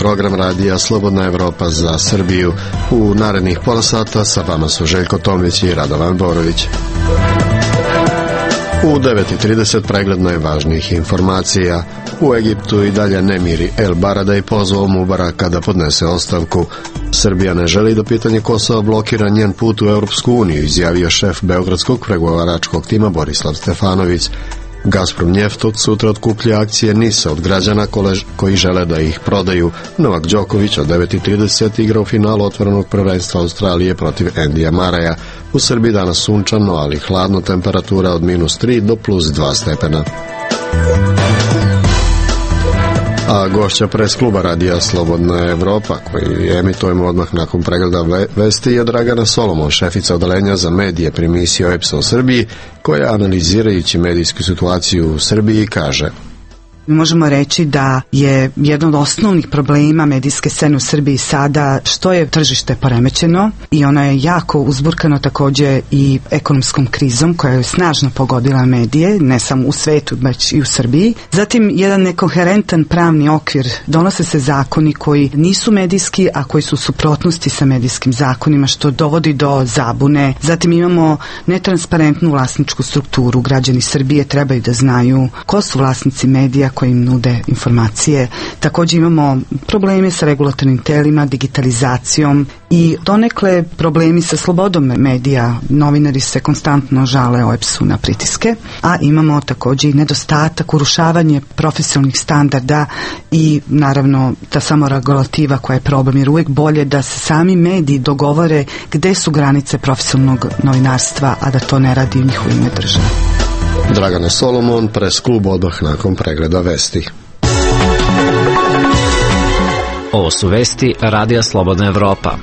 program radija Slobodna Evropa za Srbiju. U narednih pola sata sa vama su Željko Tomlić i Radovan Borović. U 9:30 pregled najvažnijih informacija. U Egiptu i dalje nemiri. El Baradei pozvao Mubaraka da podnese ostavku. Srbija ne želi da pitanje Kosova blokira njen put u Europsku uniju, izjavio šef beogradskog pregovaračkog tima Borislav Stefanović. Gazprom Njeft od sutra otkuplja akcije NIS-a od građana koji žele da ih prodaju. Novak Đoković od 9:30 igra u finalu otvorenog prvenstva Australije protiv Endija Maraja. U Srbiji danas sunčano, ali hladno, temperatura od -3 do +2 stepena. A gošća pres kluba radija Slobodna Evropa, koji emitujemo odmah nakon pregleda vesti, je Dragana Solomon, šefica odeljenja za medije pri misiji OEBS-a u Srbiji, koja analizirajući medijsku situaciju u Srbiji kaže: Možemo reći da je jedan od osnovnih problema medijske scene u Srbiji sada što je tržište poremećeno i ono je jako uzburkano također i ekonomskom krizom koja je snažno pogodila medije, ne samo u svetu, već i u Srbiji. Zatim jedan nekoherentan pravni okvir, donose se zakoni koji nisu medijski, a koji su u suprotnosti sa medijskim zakonima, što dovodi do zabune. Zatim imamo netransparentnu vlasničku strukturu. Građani Srbije trebaju da znaju ko su vlasnici medija koji im nude informacije. Također imamo probleme sa regulatornim telima, digitalizacijom i donekle problemi sa slobodom medija. Novinari se konstantno žale OEBS-u na pritiske, a imamo također i nedostatak, urušavanje profesionalnih standarda i naravno ta samoregulativa koja je problem, jer uvijek bolje da se sami mediji dogovore gde su granice profesionalnog novinarstva, a da to ne radi u njihovo ime države. Dragana Solomon, pres klub odmah nakon pregleda vesti. Ovo su vesti radija Slobodna Evropa.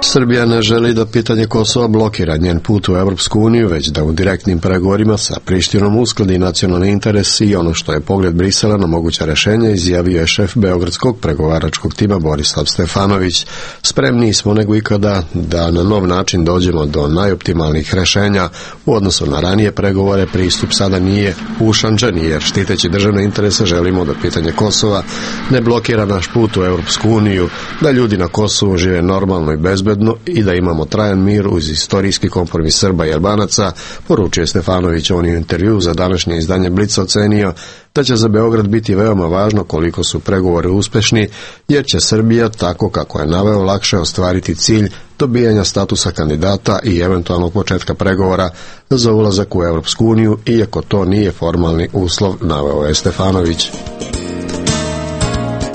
Srbija ne želi da pitanje Kosova blokira njen put u Europsku uniju, već da u direktnim pregovorima sa Prištinom uskladi nacionalni interes i ono što je pogled Brisela na moguća rešenja, izjavio je šef beogradskog pregovaračkog tima Borislav Stefanović. Spremni smo nego ikada da na nov način dođemo do najoptimalnijih rešenja. U odnosu na ranije pregovore pristup sada nije ušančen, jer štiteći državne interese želimo da pitanje Kosova ne blokira naš put u Europsku uniju, da ljudi na Kosovu žive normalno i bezbedno i da imamo trajan mir uz istorijski kompromis Srba i Albanaca, poručuje Stefanović. On je u intervju za današnje izdanje Blica ocenio da će za Beograd biti veoma važno koliko su pregovori uspešni, jer će Srbija, tako kako je naveo, lakše ostvariti cilj dobijanja statusa kandidata i eventualnog početka pregovora za ulazak u Europsku uniju, iako to nije formalni uslov, naveo je Stefanović.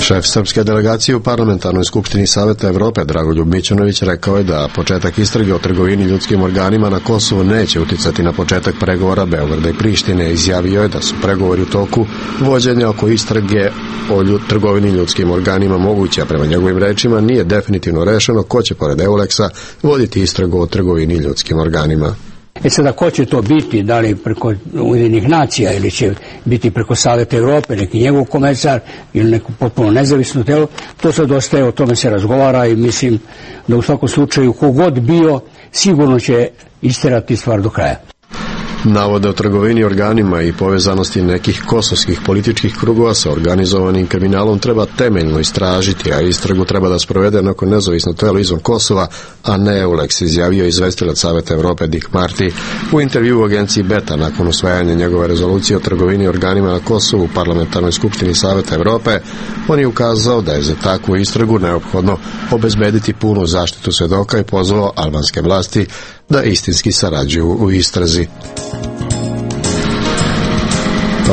Šef srpske delegacije u Parlamentarnoj skupštini Saveta Evrope Dragoljub Mićunović rekao je da početak istrage o trgovini ljudskim organima na Kosovu neće uticati na početak pregovora Beograda i Prištine. Izjavio je da su pregovori u toku vođenja oko istrage o trgovini ljudskim organima moguće, a prema njegovim rečima nije definitivno rešeno ko će pored EULEX-a voditi istragu o trgovini ljudskim organima. Sada, ko će to biti, da li preko Ujedinjenih nacija ili će biti preko Saveta Evrope, neki njegov komesar ili neko potpuno nezavisno telo, to sad ostaje, o tome se razgovara i mislim da u svakom slučaju kogod bio sigurno će isterati stvar do kraja. Navode o trgovini organima i povezanosti nekih kosovskih političkih krugova sa organizovanim kriminalom treba temeljno istražiti, a istragu treba da sprovede neko nezavisno telo izvan Kosova, a ne EULEX, izjavio izvestilac Saveta Evrope Dick Marty u intervju u agenciji Beta nakon usvajanja njegove rezolucije o trgovini organima na Kosovu u Parlamentarnoj skupštini Saveta Evrope. On je ukazao da je za takvu istragu neophodno obezbediti punu zaštitu svedoka i pozvao albanske vlasti da istinski sarađuju u istrazi.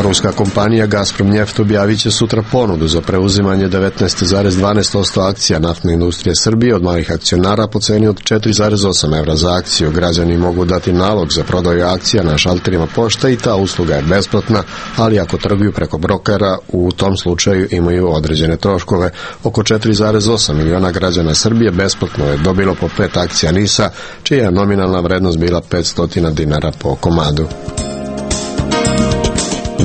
Ruska kompanija Gazprom Njeft objavit će sutra ponudu za preuzimanje 19,12% akcija naftne industrije Srbije od malih akcionara po ceni od 4,8 evra za akciju. Građani mogu dati nalog za prodaju akcija na šalterima pošte i ta usluga je besplatna, ali ako trguju preko brokera, u tom slučaju imaju određene troškove. Oko 4,8 miliona građana Srbije besplatno je dobilo po 5 akcija NIS-a, čija je nominalna vrednost bila 500 dinara po komadu.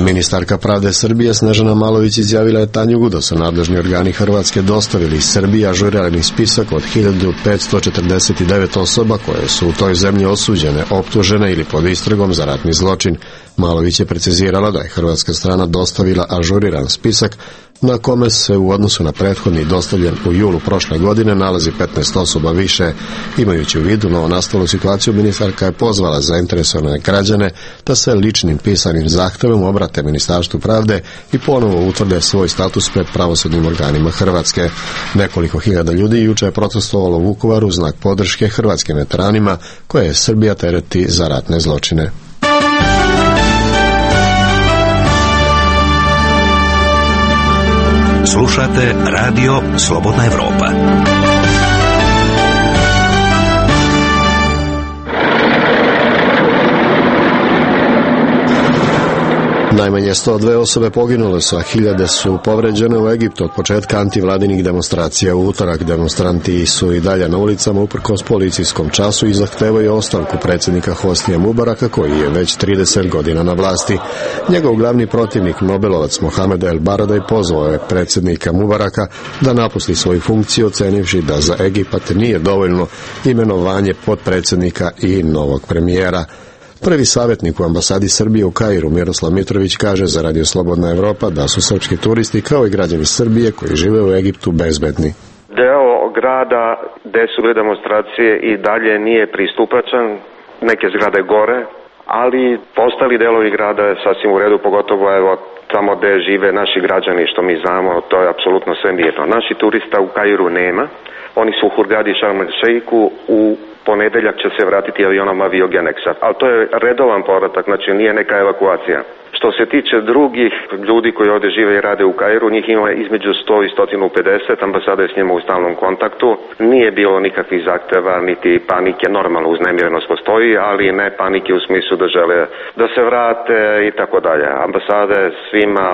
Ministarka pravde Srbije Snežana Malović izjavila je Tanjugu da su nadležni organi Hrvatske dostavili Srbiji ažurirani spisak od 1549 osoba koje su u toj zemlji osuđene, optužene ili pod istragom za ratni zločin. Malović je precizirala da je hrvatska strana dostavila ažuriran spisak na kome se u odnosu na prethodni dostavljen u julu prošle godine nalazi 15 osoba više. Imajući u vidu novonastalu situaciju, ministarka je pozvala zainteresovane građane da se ličnim pisanim zahtevom obrate Ministarstvu pravde i ponovo utvrde svoj status pred pravosudnim organima Hrvatske. Nekoliko hiljada ljudi juče je protestovalo u Vukovaru u znak podrške hrvatskim veteranima koje je Srbija tereti za ratne zločine. Slušate Radio Slobodna Evropa. Najmanje 102 osobe poginule su, a hiljade su povređene u Egiptu od početka antivladinih demonstracija u utorak. Demonstranti su i dalje na ulicama uprkos policijskom času i zahtevaju ostavku predsjednika Hosnija Mubaraka, koji je već 30 godina na vlasti. Njegov glavni protivnik, Nobelovac Mohamed El Baradaj, pozvao je predsjednika Mubaraka da napusti svoju funkciju, ocenivši da za Egipat nije dovoljno imenovanje potpredsjednika i novog premijera. Prvi savjetnik u ambasadi Srbije u Kairu, Miroslav Mitrović, kaže za Radio Slobodna Evropa da su srpski turisti kao i građani Srbije koji žive u Egiptu bezbedni. Deo grada gde su bile demonstracije i dalje nije pristupačan, neke zgrade gore, ali ostali delovi grada je sasvim u redu, pogotovo evo tamo gde žive naši građani, što mi znamo, to je apsolutno sve mirno. Naši turista u Kairu nema, oni su u Hurgadi Sharm el Sheikhu, u ponedeljak će se vratiti avionom Aviogenexa, ali to je redovan povratak, znači nije neka evakuacija. Što se tiče drugih ljudi koji ovdje žive i rade u Kairu, njih ima između 100 i 150, ambasada je s njima u stalnom kontaktu. Nije bilo nikakvih zahteva, niti panike, normalno uznemirenost postoji, ali ne panike u smislu da žele da se vrate i tako dalje. Ambasada je svima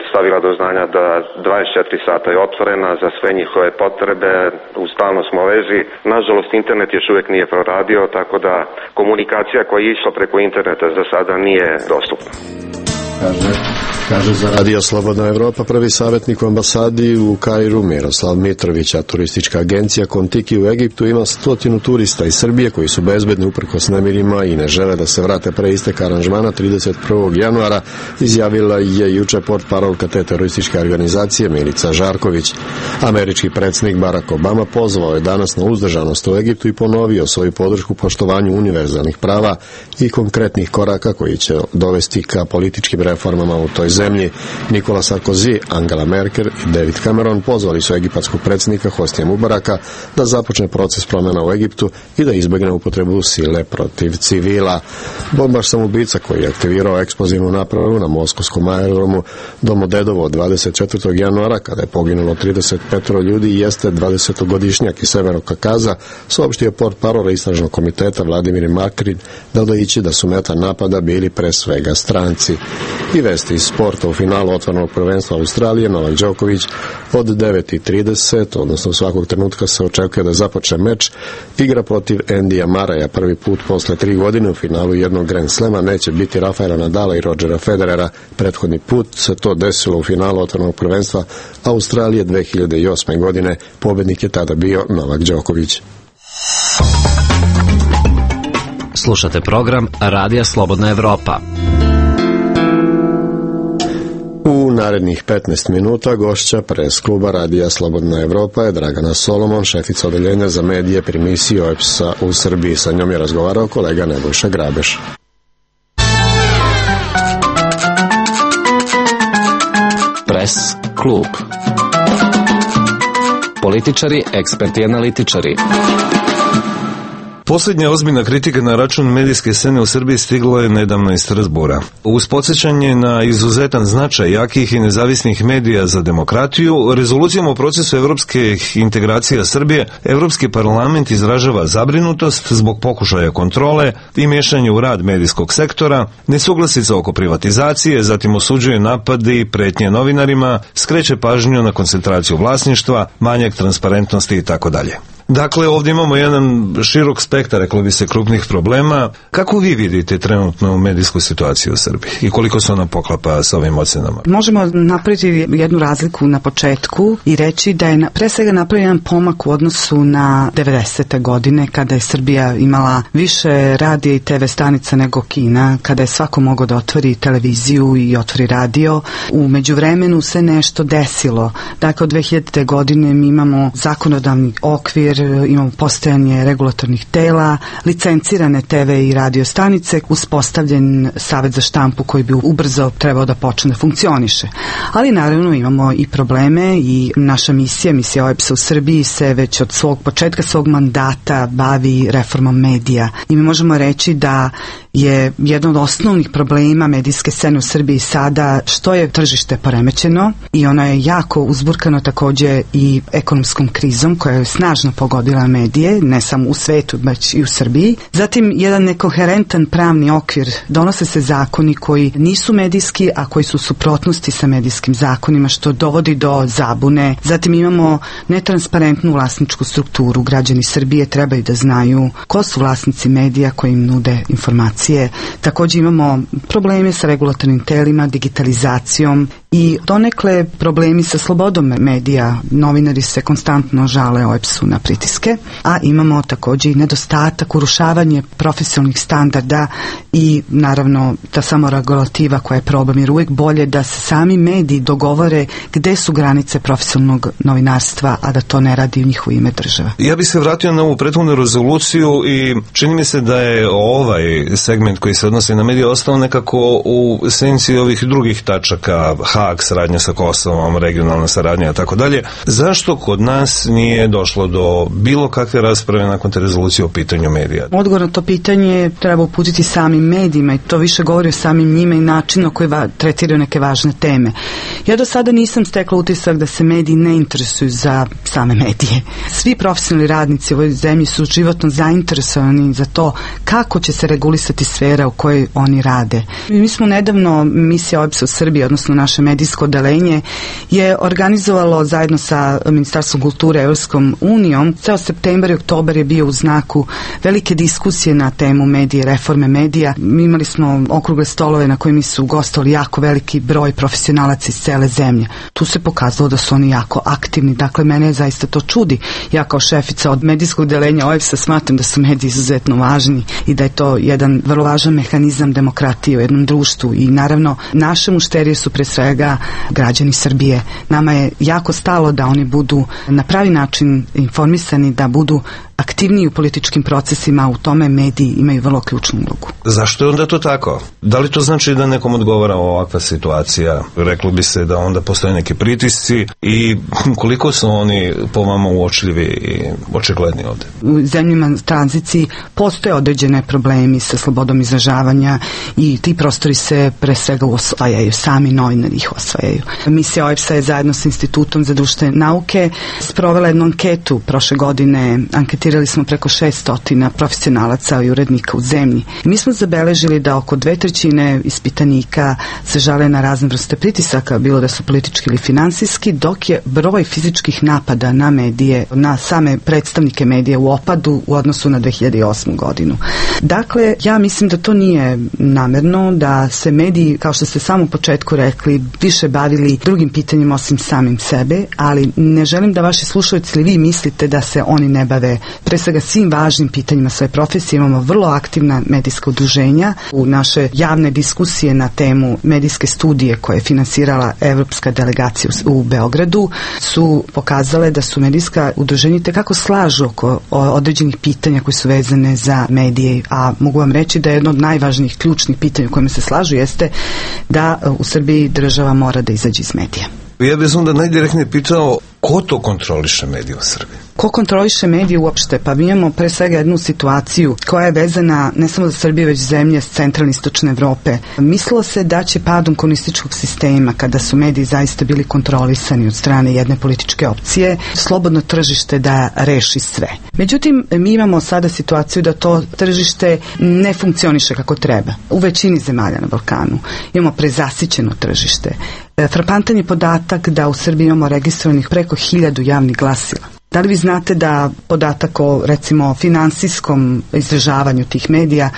stavila do znanja da 24 sata je otvorena za sve njihove potrebe, u stalno smo vezi. Nažalost, internet još uvijek nije proradio, tako da komunikacija koja je išla preko interneta za sada nije dostupna. Kaže za Radio Slobodna Evropa prvi savjetnik u ambasadi u Kairu Miroslav Mitrović, a turistička agencija Kontiki u Egiptu ima 100 turista iz Srbije koji su bezbedni uprkos nemirima i ne žele da se vrate pre isteka aranžmana 31. januara, izjavila je juče portparolka te terorističke organizacije Milica Žarković. Američki predsjednik Barack Obama pozvao je danas na uzdržanost u Egiptu i ponovio svoju podršku poštovanju univerzalnih prava i konkretnih koraka koji će dovesti ka političkim reformama u toj zemlji. Nikola Sarkozy, Angela Merkel i David Cameron pozvali su egipatskog predsjednika Hosnija Mubaraka da započne proces promjena u Egiptu i da izbjegne upotrebu sile protiv civila. Bombaš samoubica koji je aktivirao eksplozivnu napravu na moskovskom aerodromu Domodedovo 24. januara, kada je poginulo 35 ljudi, jeste 20-godišnjak iz Severnog Kakaza, saopštio portparol istražnog komiteta Vladimir Makrin, dodajući da su meta napada bili pre svega stranci. I vesti iz sporta. U finalu otvorenog prvenstva Australije Novak Đoković od 9:30, odnosno svakog trenutka se očekuje da započne meč, igra protiv Endija Maraja. Prvi put posle 3 godine u finalu jednog Grand Slema neće biti Rafaela Nadala i Rodgera Federera. Prethodni put se to desilo u finalu otvorenog prvenstva Australije 2008. godine. Pobednik je tada bio Novak Đoković. Slušate program Radija Slobodna Evropa. U narednih 15 minuta gošća pres kluba Radija Slobodna Evropa je Dragana Solomon, šefica odeljenja za medije pri misiji OEBS-a u Srbiji. Sa njom je razgovarao kolega Nebojša Grabeš. Pres klub. Političari, eksperti, analitičari. Posljednja ozbiljna kritika na račun medijske scene u Srbiji stigla je nedavno iz Strazbura. Uz podsjećanje na izuzetan značaj jakih i nezavisnih medija za demokratiju, rezolucijom o procesu evropskih integracija Srbije, Evropski parlament izražava zabrinutost zbog pokušaja kontrole i miješanja u rad medijskog sektora, nesuglasica oko privatizacije, zatim osuđuje napadi i pretnje novinarima, skreće pažnju na koncentraciju vlasništva, manjak transparentnosti itd. Dakle, ovdje imamo jedan širok spektar, reklo bi se, krupnih problema. Kako vi vidite trenutnu medijsku situaciju u Srbiji i koliko se ona poklapa sa ovim ocenama? Možemo napraviti jednu razliku na početku i reći da je pre svega napravljen jedan pomak u odnosu na 90. godine, kada je Srbija imala više radija i TV stanica nego Kina, kada je svako mogao da otvori televiziju i otvori radio. U međuvremenu se nešto desilo. Dakle, od 2000. godine mi imamo zakonodavni okvir, imamo postojanje regulatornih tela, licencirane TV i radio stanice, uspostavljen Savet za štampu koji bi ubrzo trebao da počne da funkcioniše. Ali naravno imamo i probleme i naša misija OEBS-a u Srbiji se već od svog početka svog mandata bavi reformom medija. I mi možemo reći da je jedan od osnovnih problema medijske scene u Srbiji sada što je tržište poremećeno i ono je jako uzburkano takođe i ekonomskom krizom koja je snažno pogodila medije, ne samo u svetu, već i u Srbiji. Zatim, jedan nekoherentan pravni okvir, donose se zakoni koji nisu medijski, a koji su u suprotnosti sa medijskim zakonima, što dovodi do zabune. Zatim imamo netransparentnu vlasničku strukturu. Građani Srbije trebaju da znaju ko su vlasnici medija koji im nude informacije. Takođe imamo probleme sa regulatornim telima, digitalizacijom i donekle problemi sa slobodom medija. Novinari se konstantno žale OEBS-u na pritiske, a imamo takođe i nedostatak, urušavanje profesionalnih standarda i naravno ta samoregulativa koja je problem, jer uvijek bolje da se sami mediji dogovore gde su granice profesionalnog novinarstva, a da to ne radi u njihovo ime država. Ja bih se vratio na ovu prethodnu rezoluciju i čini mi se da je ovaj segment koji se odnosi na medije ostao nekako u senci ovih drugih tačaka, Haag, saradnja sa Kosovom, regionalna saradnja i tako dalje. Zašto kod nas nije došlo do bilo kakve rasprave nakon te rezolucije o pitanju medija? Odgovor na to pitanje treba uputiti samim medijima i to više govori o samim njima i načinu na koji tretiraju neke važne teme. Ja do sada nisam stekla utisak da se mediji ne interesuju za same medije. Svi profesionalni radnici u ovoj zemlji su životno zainteresovani za to kako će se regulisati sfera u kojoj oni rade. Mi smo nedavno, misija OEBS-a u Srbiji, odnosno naše medijsko odeljenje, je organizovalo zajedno sa Ministarstvom kulture i Evropskom unijom. Ceo septembar i oktobar je bio u znaku velike diskusije na temu medije, reforme medija. Imali smo okrugle stolove na kojima su gostovali jako veliki broj profesionalaca iz cele zemlje. Tu se pokazalo da su oni jako aktivni. Dakle, mene zaista to čudi. Ja kao šefica od medijskog odeljenja OEBS-a smatram da su mediji izuzetno važni i da je to jedan vrlo važan mehanizam demokratije u jednom društvu i naravno naše mušterije su pre svega građani Srbije. Nama je jako stalo da oni budu na pravi način informisani, da budu aktivniji u političkim procesima, u tome mediji imaju vrlo ključnu ulogu. Zašto je onda to tako? Da li to znači da nekom odgovara ovakva situacija? Reklo bi se da onda postoje neki pritisci i koliko su oni po vama uočljivi i očigledni ovde? U zemljama tranziciji postoje određene problemi sa slobodom izražavanja i ti prostori se pre svega osvajaju, sami novinari ih osvajaju. Misija OEBS-a je zajedno sa Institutom za društvene nauke sprovela jednu anketu prošle godine. Anketirali smo preko 600 profesionalaca i urednika u zemlji. Mi smo zabeležili da oko 2/3 ispitanika se žale na razne vrste pritisaka, bilo da su politički ili finansijski, dok je broj fizičkih napada na medije, na same predstavnike medija u opadu u odnosu na 2008. godinu. Dakle, ja mislim da to nije namerno, da se mediji, kao što ste samo u početku rekli, više bavili drugim pitanjima osim samim sebe, ali ne želim da vaši slušalci ili vi mislite da se oni ne bave pre svega svim važnim pitanjima svoje profesije. Imamo vrlo aktivna medijska udruženja. U naše javne diskusije na temu medijske studije koje je finansirala Evropska delegacija u Beogradu su pokazale da su medijska udruženja tekako slažu oko određenih pitanja koji su vezane za medije, a mogu vam reći da je jedno od najvažnijih ključnih pitanja u kojima se slažu jeste da u Srbiji država mora da izađe iz medija. Ja bih onda najdirektnije pitao ko to kontroliše medije u Srbiji? Ko kontroliše medije uopšte? Pa mi imamo pre svega jednu situaciju koja je vezana ne samo za Srbiju, već zemlje s centralne istočne Evrope. Mislilo se da će padom komunističkog sistema, kada su mediji zaista bili kontrolisani od strane jedne političke opcije, slobodno tržište da reši sve. Međutim, mi imamo sada situaciju da to tržište ne funkcioniše kako treba. U većini zemalja na Balkanu imamo prezasićeno tržište. Frapantan je podatak da u Srbiji imamo registrovanih preko 1000 javnih glasila. Da li vi znate da podatak o, recimo, finansijskom izražavanju tih medija,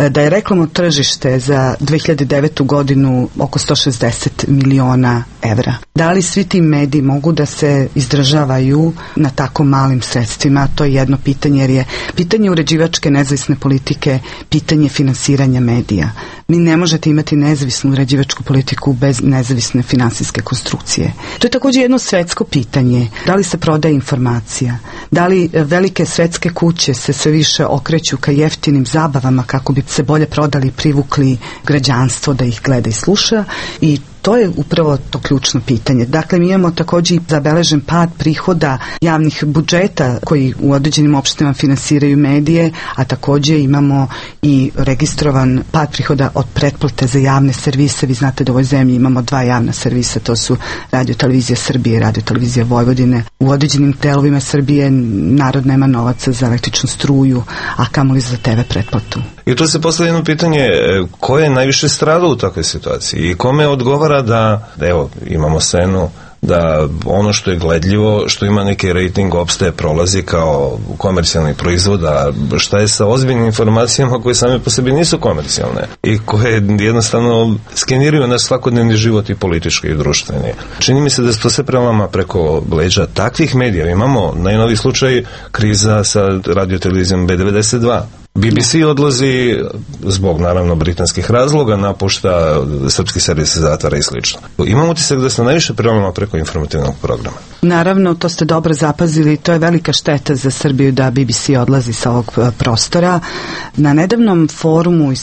da je reklamno tržište za 2009. godinu oko 160 miliona evra? Da li svi ti mediji mogu da se izdržavaju na tako malim sredstvima? To je jedno pitanje, jer je pitanje uređivačke nezavisne politike pitanje finansiranja medija. Mi ne možete imati nezavisnu uređivačku politiku bez nezavisne finansijske konstrukcije. To je također jedno svetsko pitanje. Da li se prodaje informacija? Da li velike svetske kuće se sve više okreću ka jeftinim zabavama kako bi se bolje prodali i privukli građanstvo da ih gleda i sluša? I to je upravo to ključno pitanje. Dakle, mi imamo također i zabeležen pad prihoda javnih budžeta koji u određenim opštinama finansiraju medije, a također imamo i registrovan pad prihoda od pretplate za javne servise. Vi znate da u ovoj zemlji imamo 2 javna servisa, to su Radio televizija Srbije i Radio televizija Vojvodine. U određenim delovima Srbije narod nema novaca za električnu struju, a kamoli za TV pretplatu. I tu se postavlja jedno pitanje, ko je najviše stradao u takvoj situaciji i kome odgovara da evo, imamo scenu da ono što je gledljivo, što ima neki rating, opstaje, prolazi kao komercijalni proizvod, a šta je sa ozbiljnim informacijama koje same po sebi nisu komercijalne i koje jednostavno skeniraju naš svakodnevni život i politički i društveni. Čini mi se da se to sve prelama preko leđa takvih medija. Imamo najnoviji slučaj kriza sa radiotelevizijom B92. BBC odlazi zbog, naravno, britanskih razloga, napušta srpski servis, zatvara i slično. Imam utisak da se najviše prelama preko informativnog programa. Naravno, to ste dobro zapazili, to je velika šteta za Srbiju da BBC odlazi sa ovog prostora. Na nedavnom forumu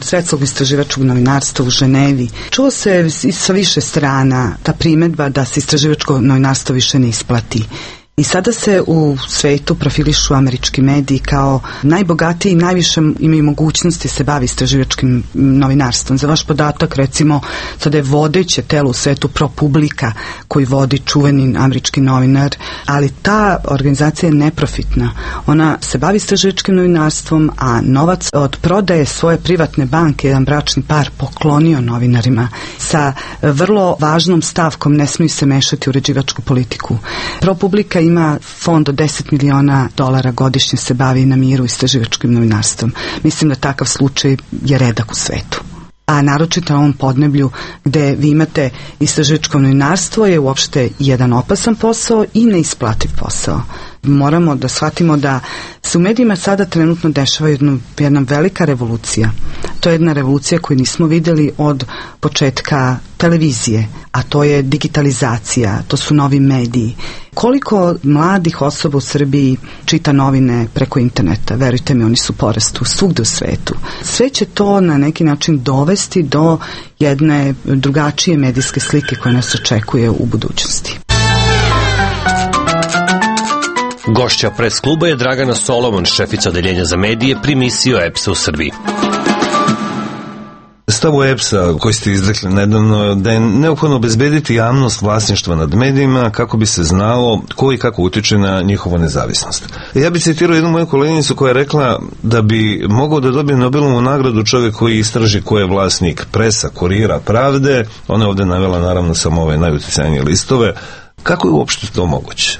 svetskog istraživačkog novinarstva u Ženevi čuo se sa više strana ta primedba da se istraživačko novinarstvo više ne isplati. I sada se u svetu profilišu američki mediji kao najbogatiji i najviše imaju mogućnosti se bavi istraživačkim novinarstvom. Za vaš podatak, recimo, sada je vodeće telo u svetu ProPublica koji vodi čuveni američki novinar, ali ta organizacija je neprofitna. Ona se bavi istraživačkim novinarstvom, a novac od prodaje svoje privatne banke, jedan bračni par, poklonio novinarima sa vrlo važnom stavkom: ne smiju se mešati u uređivačku politiku. ProPublica ima fond od $10 miliona godišnje, se bavi na miru istraživačkim novinarstvom. Mislim da takav slučaj je redak u svetu. A naročito na ovom podneblju gde vi imate istraživačko novinarstvo je uopšte jedan opasan posao i neisplativ posao. Moramo da shvatimo da se u medijima sada trenutno dešava jedna velika revolucija. To je jedna revolucija koju nismo vidjeli od početka televizije, a to je digitalizacija, to su novi mediji. Koliko mladih osoba u Srbiji čita novine preko interneta? Verujte mi, oni su u porastu svugde u svetu. Sve će to na neki način dovesti do jedne drugačije medijske slike koja nas očekuje u budućnosti. Gošća pres kluba je Dragana Solomon, šefica odeljenja za medije pri misiji EPS-a u Srbiji. Stavu EPS-a koji ste izrekli nedavno da je neophodno obezbediti javnost vlasništva nad medijima kako bi se znalo ko i kako utiče na njihovu nezavisnost. Ja bih citirao jednu moju koleginicu koja je rekla da bi mogao da dobije Nobelovu nagradu čovjek koji istraži ko je vlasnik Presa, Kurira, Pravde. Ona je ovdje navela naravno samo ove najuticajnije listove. Kako je uopšte to moguće?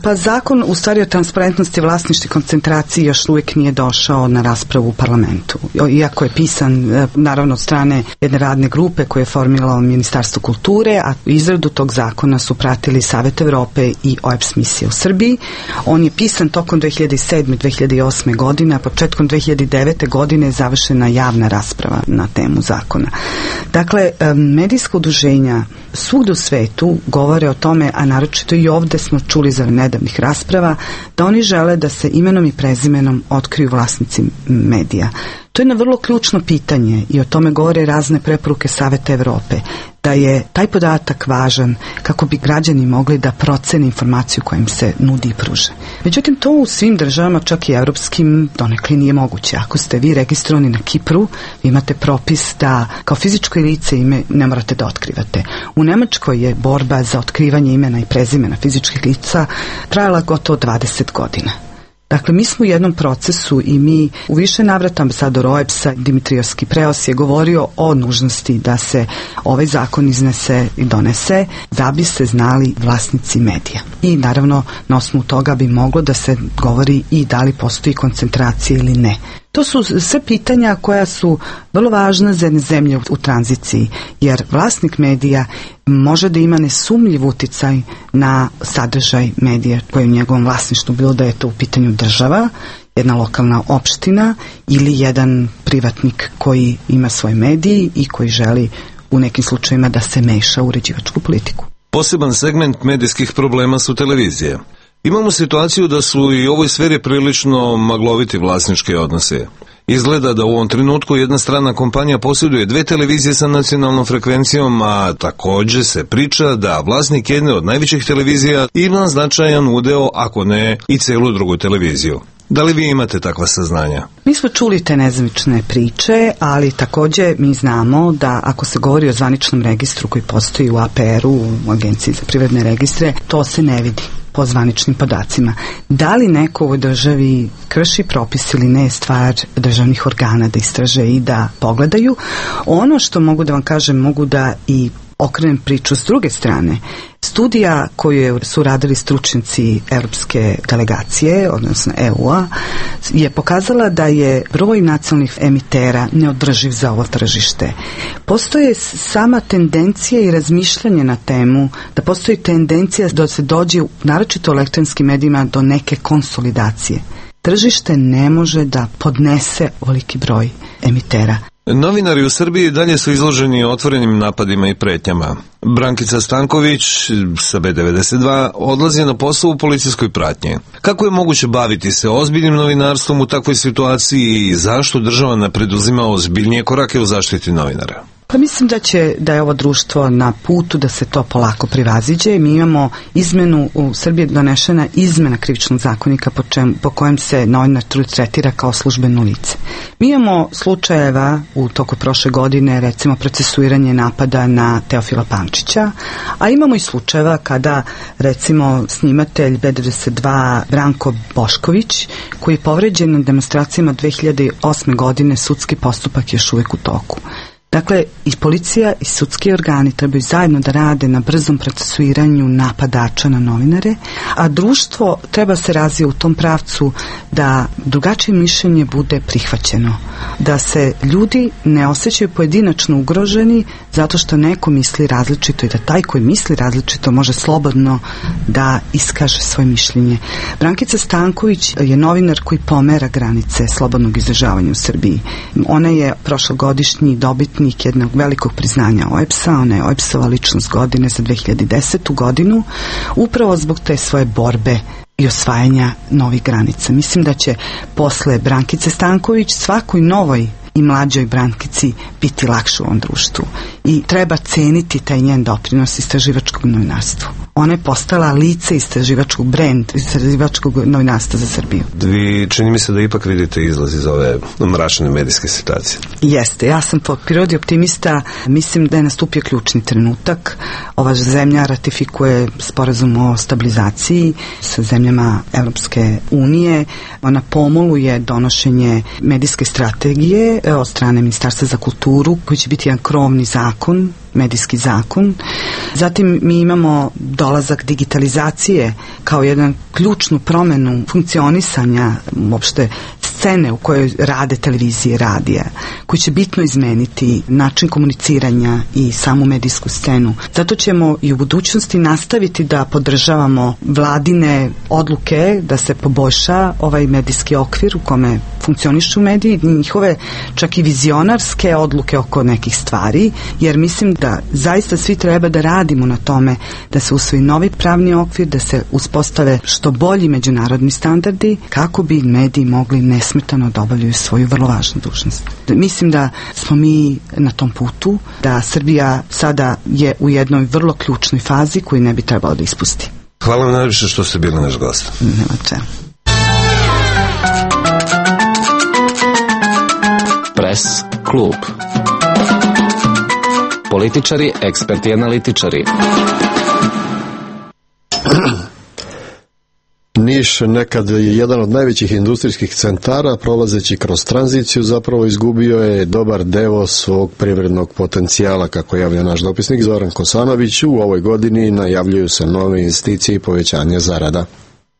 Pa zakon u stvari o transparentnosti vlasništva i koncentraciji još uvijek nije došao na raspravu u parlamentu. Iako je pisan naravno od strane jedne radne grupe koje je formiralo Ministarstvo kulture, a izradu tog zakona su pratili Savet Evrope i OEBS misija u Srbiji. On je pisan tokom 2007. 2008. godine, a početkom 2009. godine je završena javna rasprava na temu zakona. Dakle, medijska udruženja svugde u svetu govore o tome, a naročito i ovdje smo čuli za nedavnih rasprava, da oni žele da se imenom i prezimenom otkriju vlasnici medija. To je jedno vrlo ključno pitanje i o tome govore razne preporuke Saveta Evrope, da je taj podatak važan kako bi građani mogli da procene informaciju koja im se nudi i pruže. Međutim, to u svim državama, čak i evropskim, donekle nije moguće. Ako ste vi registrovani na Kipru, vi imate propis da kao fizičko lice ime ne morate da otkrivate. U Nemačkoj je borba za otkrivanje imena i prezimena fizičkih lica trajala gotovo 20 godina. Dakle, mi smo u jednom procesu i mi u više navrata ambasador OEBS-a Dimitrios Kipreos je govorio o nužnosti da se ovaj zakon iznese i donese da bi se znali vlasnici medija. I naravno na osnovu toga bi moglo da se govori i da li postoji koncentracija ili ne. To su sve pitanja koja su vrlo važna za jedne zemlje u tranziciji, jer vlasnik medija može da ima nesumnjiv uticaj na sadržaj medija koji je u njegovom vlasništvu, bilo da je to u pitanju država, jedna lokalna opština ili jedan privatnik koji ima svoj medij i koji želi u nekim slučajima da se meša u uređivačku politiku. Poseban segment medijskih problema su televizije. Imamo situaciju da su i u ovoj sferi prilično magloviti vlasnički odnose. Izgleda da u ovom trenutku jedna strana kompanija posjeduje 2 televizije sa nacionalnom frekvencijom, a također se priča da vlasnik jedne od najvećih televizija ima značajan udeo, ako ne i celu drugu televiziju. Da li vi imate takva saznanja? Mi smo čuli te nezvanične priče, ali također mi znamo da ako se govori o zvaničnom registru koji postoji u APR-u, u Agenciji za privredne registre, to se ne vidi po zvaničnim podacima. Da li neko u ovoj državi krši propis ili ne je stvar državnih organa da istraže i da pogledaju. Ono što mogu da vam kažem, mogu da i okrenem priču s druge strane. Studija koju su radili stručnjaci europske delegacije, odnosno EU-a, je pokazala da je broj nacionalnih emitera neodrživ za ovo tržište. Postoje sama tendencija i razmišljanje na temu da postoji tendencija da se dođe, naročito u elektronskim medijima, do neke konsolidacije. Tržište ne može da podnese ovoliki broj emitera. Novinari u Srbiji dalje su izloženi otvorenim napadima i pretnjama. Brankica Stanković sa B92 odlazi na posao u policijskoj pratnji. Kako je moguće baviti se ozbiljnim novinarstvom u takvoj situaciji i zašto država ne preduzima ozbiljnije korake u zaštiti novinara? Pa mislim da je ovo društvo na putu da se to polako privaziđe. Mi imamo izmenu, u Srbiji donešena izmena krivičnog zakonika po kojem se novinar tretira kao službeno lice. Mi imamo slučajeva u toku prošle godine, recimo procesuiranje napada na Teofila Pančića, a imamo i slučajeva kada recimo snimatelj B92 Branko Bošković, koji je povređen na demonstracijama 2008. godine, sudski postupak još uvijek u toku. Dakle, i policija i sudski organi trebaju zajedno da rade na brzom procesuiranju napadača na novinare, a društvo treba se razvije u tom pravcu da drugačije mišljenje bude prihvaćeno, da se ljudi ne osjećaju pojedinačno ugroženi zato što neko misli različito i da taj koji misli različito može slobodno da iskaže svoje mišljenje. Brankica Stanković je novinar koji pomera granice slobodnog izražavanja u Srbiji. Ona je prošlogodišnji dobitnik jednog velikog priznanja OEBS-a, ona je OEBS-ova ličnost godine za 2010. godinu, upravo zbog te svoje borbe i osvajanja novih granica. Mislim da će posle Brankice Stanković svakoj novoj i mlađoj Brankici biti lakše u ovom društvu. I treba ceniti taj njen doprinos istraživačkog novinarstvu. Ona je postala lice istraživačkog brend, istraživačkog novinarstva za Srbiju. Vi čini mi se da ipak vidite izlaz iz ove mračne medijske situacije. Jeste, ja sam po prirodi optimista, mislim da je nastupio ključni trenutak. Ova zemlja ratifikuje sporazum o stabilizaciji sa zemljama Evropske unije. Ona pomoluje donošenje medijske strategije od strane Ministarstva za kulturu, koji će biti jedan krovni zakon, medijski zakon. Zatim mi imamo dolazak digitalizacije kao jedan ključnu promenu funkcionisanja uopšte scene u kojoj rade televizije, radija, koji će bitno izmeniti način komuniciranja i samu medijsku scenu. Zato ćemo i u budućnosti nastaviti da podržavamo vladine odluke da se poboljša ovaj medijski okvir u kome funkcionišu mediji, njihove čak i vizionarske odluke oko nekih stvari, jer mislim da zaista svi treba da radimo na tome da se usvoji novi pravni okvir, da se uspostave što bolji međunarodni standardi kako bi mediji mogli nesmetano da obavljaju svoju vrlo važnu dužnost. Mislim da smo mi na tom putu, da Srbija sada je u jednoj vrlo ključnoj fazi koju ne bi trebalo da ispusti. Hvala vam najviše što ste bili naš gost. Nema čemu. Press klub. Političari, eksperti i analitičari. Niš nekad je jedan od najvećih industrijskih centara, prolazeći kroz tranziciju zapravo izgubio je dobar deo svog privrednog potencijala, kako javlja naš dopisnik Zoran Kosanović. U ovoj godini najavljuju se nove investicije i povećanje zarada.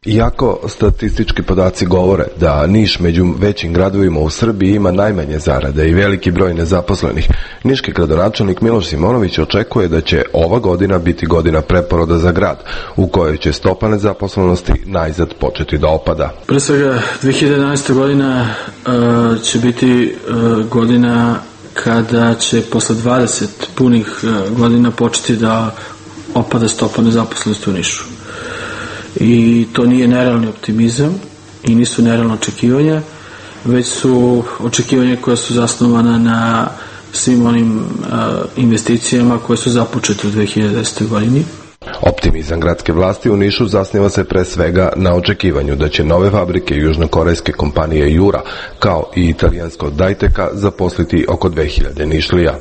Iako statistički podaci govore da Niš među većim gradovima u Srbiji ima najmanje zarade i veliki broj nezaposlenih, niški gradonačelnik Miloš Simonović očekuje da će ova godina biti godina preporoda za grad, u kojoj će stopa nezaposlenosti najzad početi da opada. Pre svega 2011. godina će biti godina kada će posle 20 punih godina početi da opada stopa nezaposlenosti u Nišu. I to nije nerealni optimizam i nisu nerealno očekivanja, već su očekivanja koja su zasnovana na svim onim investicijama koje su započete u 2010. godini. Optimizam gradske vlasti u Nišu zasniva se pre svega na očekivanju da će nove fabrike južnokorejske kompanije Jura, kao i italijanskog Dajteka, zaposliti oko 2000 Nišlija.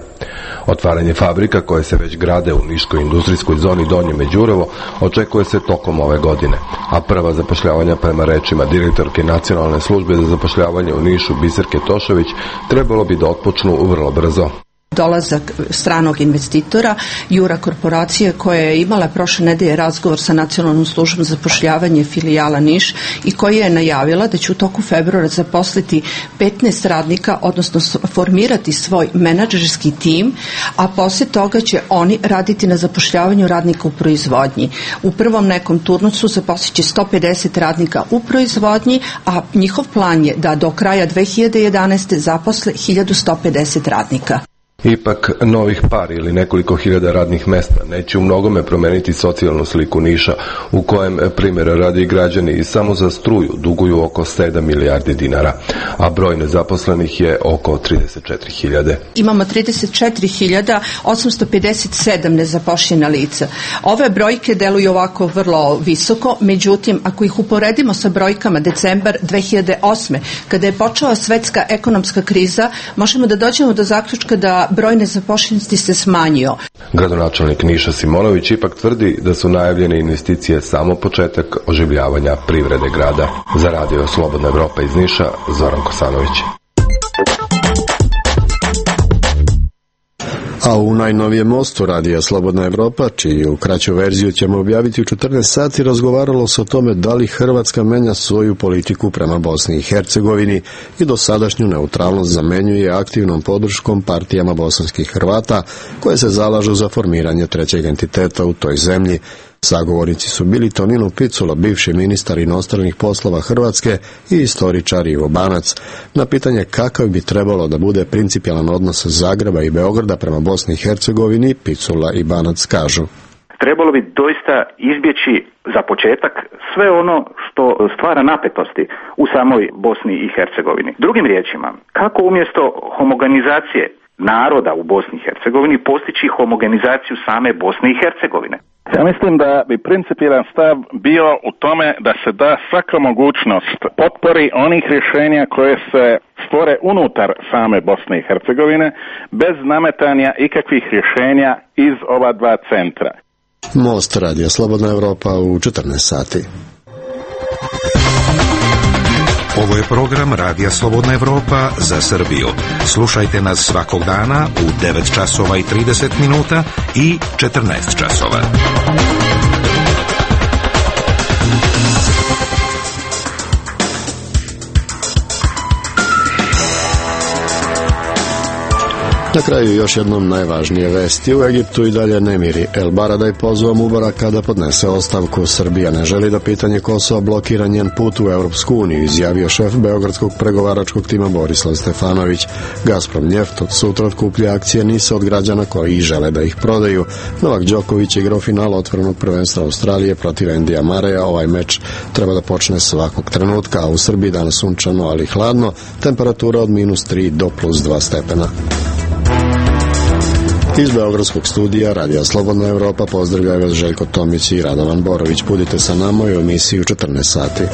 Otvaranje fabrika koje se već grade u niškoj industrijskoj zoni Donje Međurevo očekuje se tokom ove godine, a prva zapošljavanja prema rečima direktorke Nacionalne službe za zapošljavanje u Nišu Biserke Tošović trebalo bi da otpočnu vrlo brzo. Dolazak stranog investitora, Jura korporacije, koja je imala prošle nedelje razgovor sa Nacionalnom službom za zapošljavanje filijala Niš i koja je najavila da će u toku februara zaposliti 15 radnika, odnosno formirati svoj menadžerski tim, a poslije toga će oni raditi na zapošljavanju radnika u proizvodnji. U prvom nekom turnusu zaposliće 150 radnika u proizvodnji, a njihov plan je da do kraja 2011. zaposle 1150 radnika. Ipak, novih par ili nekoliko hiljada radnih mesta neće u mnogome promeniti socijalnu sliku Niša, u kojem, primjera radi, građani samo za struju duguju oko 7 milijardi dinara, a broj nezaposlenih je oko 34.000. Imamo 34.857 nezaposlena lica. Ove brojke deluju ovako vrlo visoko, međutim, ako ih uporedimo sa brojkama decembar 2008. kada je počela svetska ekonomska kriza, možemo da dođemo do zaključka da broj nezaposlenosti se smanjio. Gradonačelnik Niša Simonović ipak tvrdi da su najavljene investicije samo početak oživljavanja privrede grada. Za Radio Slobodna Evropa iz Niša, Zoran Kosanović. A u najnovijem mostu Radija Slobodna Evropa, čiju kraću verziju ćemo objaviti u 14 sati, razgovaralo se o tome da li Hrvatska menja svoju politiku prema Bosni i Hercegovini i dosadašnju neutralnost zamenjuje aktivnom podrškom partijama bosanskih Hrvata koje se zalažu za formiranje trećeg entiteta u toj zemlji. Sagovornici su bili Tonino Picula, bivši ministar inostranih poslova Hrvatske, i istoričar Ivo Banac. Na pitanje kakav bi trebalo da bude principijelan odnos Zagreba i Beograda prema Bosni i Hercegovini, Picula i Banac kažu: trebalo bi doista izbjeći za početak sve ono što stvara napetosti u samoj Bosni i Hercegovini. Drugim riječima, kako umjesto homogenizacije naroda u Bosni i Hercegovini postići homogenizaciju same Bosne i Hercegovine? Ja mislim da bi principijelan stav bio u tome da se da svaka mogućnost potpori onih rješenja koje se stvore unutar same Bosne i Hercegovine bez nametanja ikakvih rješenja iz ova dva centra. Most Radija Slobodna Evropa u 14 sati. Ovo je program Radija Slobodna Evropa za Srbiju. Slušajte nas svakog dana u 9 časova i 30 minuta i 14 časova. Na kraju još jednom najvažnije vesti. U Egiptu i dalje nemiri. El Baradaj pozvao Mubaraka da podnese ostavku. Srbija ne želi da pitanje Kosova blokira njen put u Europsku uniju, izjavio šef beogradskog pregovaračkog tima Borislav Stefanović. Gazprom Njeft od sutra otkuplja akcije NIS od građana koji žele da ih prodaju. Novak Đoković je igrao final otvorenog prvenstva Australije protiv Endija Mareja. Ovaj meč treba da počne svakog trenutka, a u Srbiji danas sunčano ali hladno, temperatura od -3 do +2 stepena. Iz beogradskog studija Radija Slobodna Evropa pozdravljaju vas Željko Tomić i Radovan Borović. Budite sa nama u emisiji u 14 sati.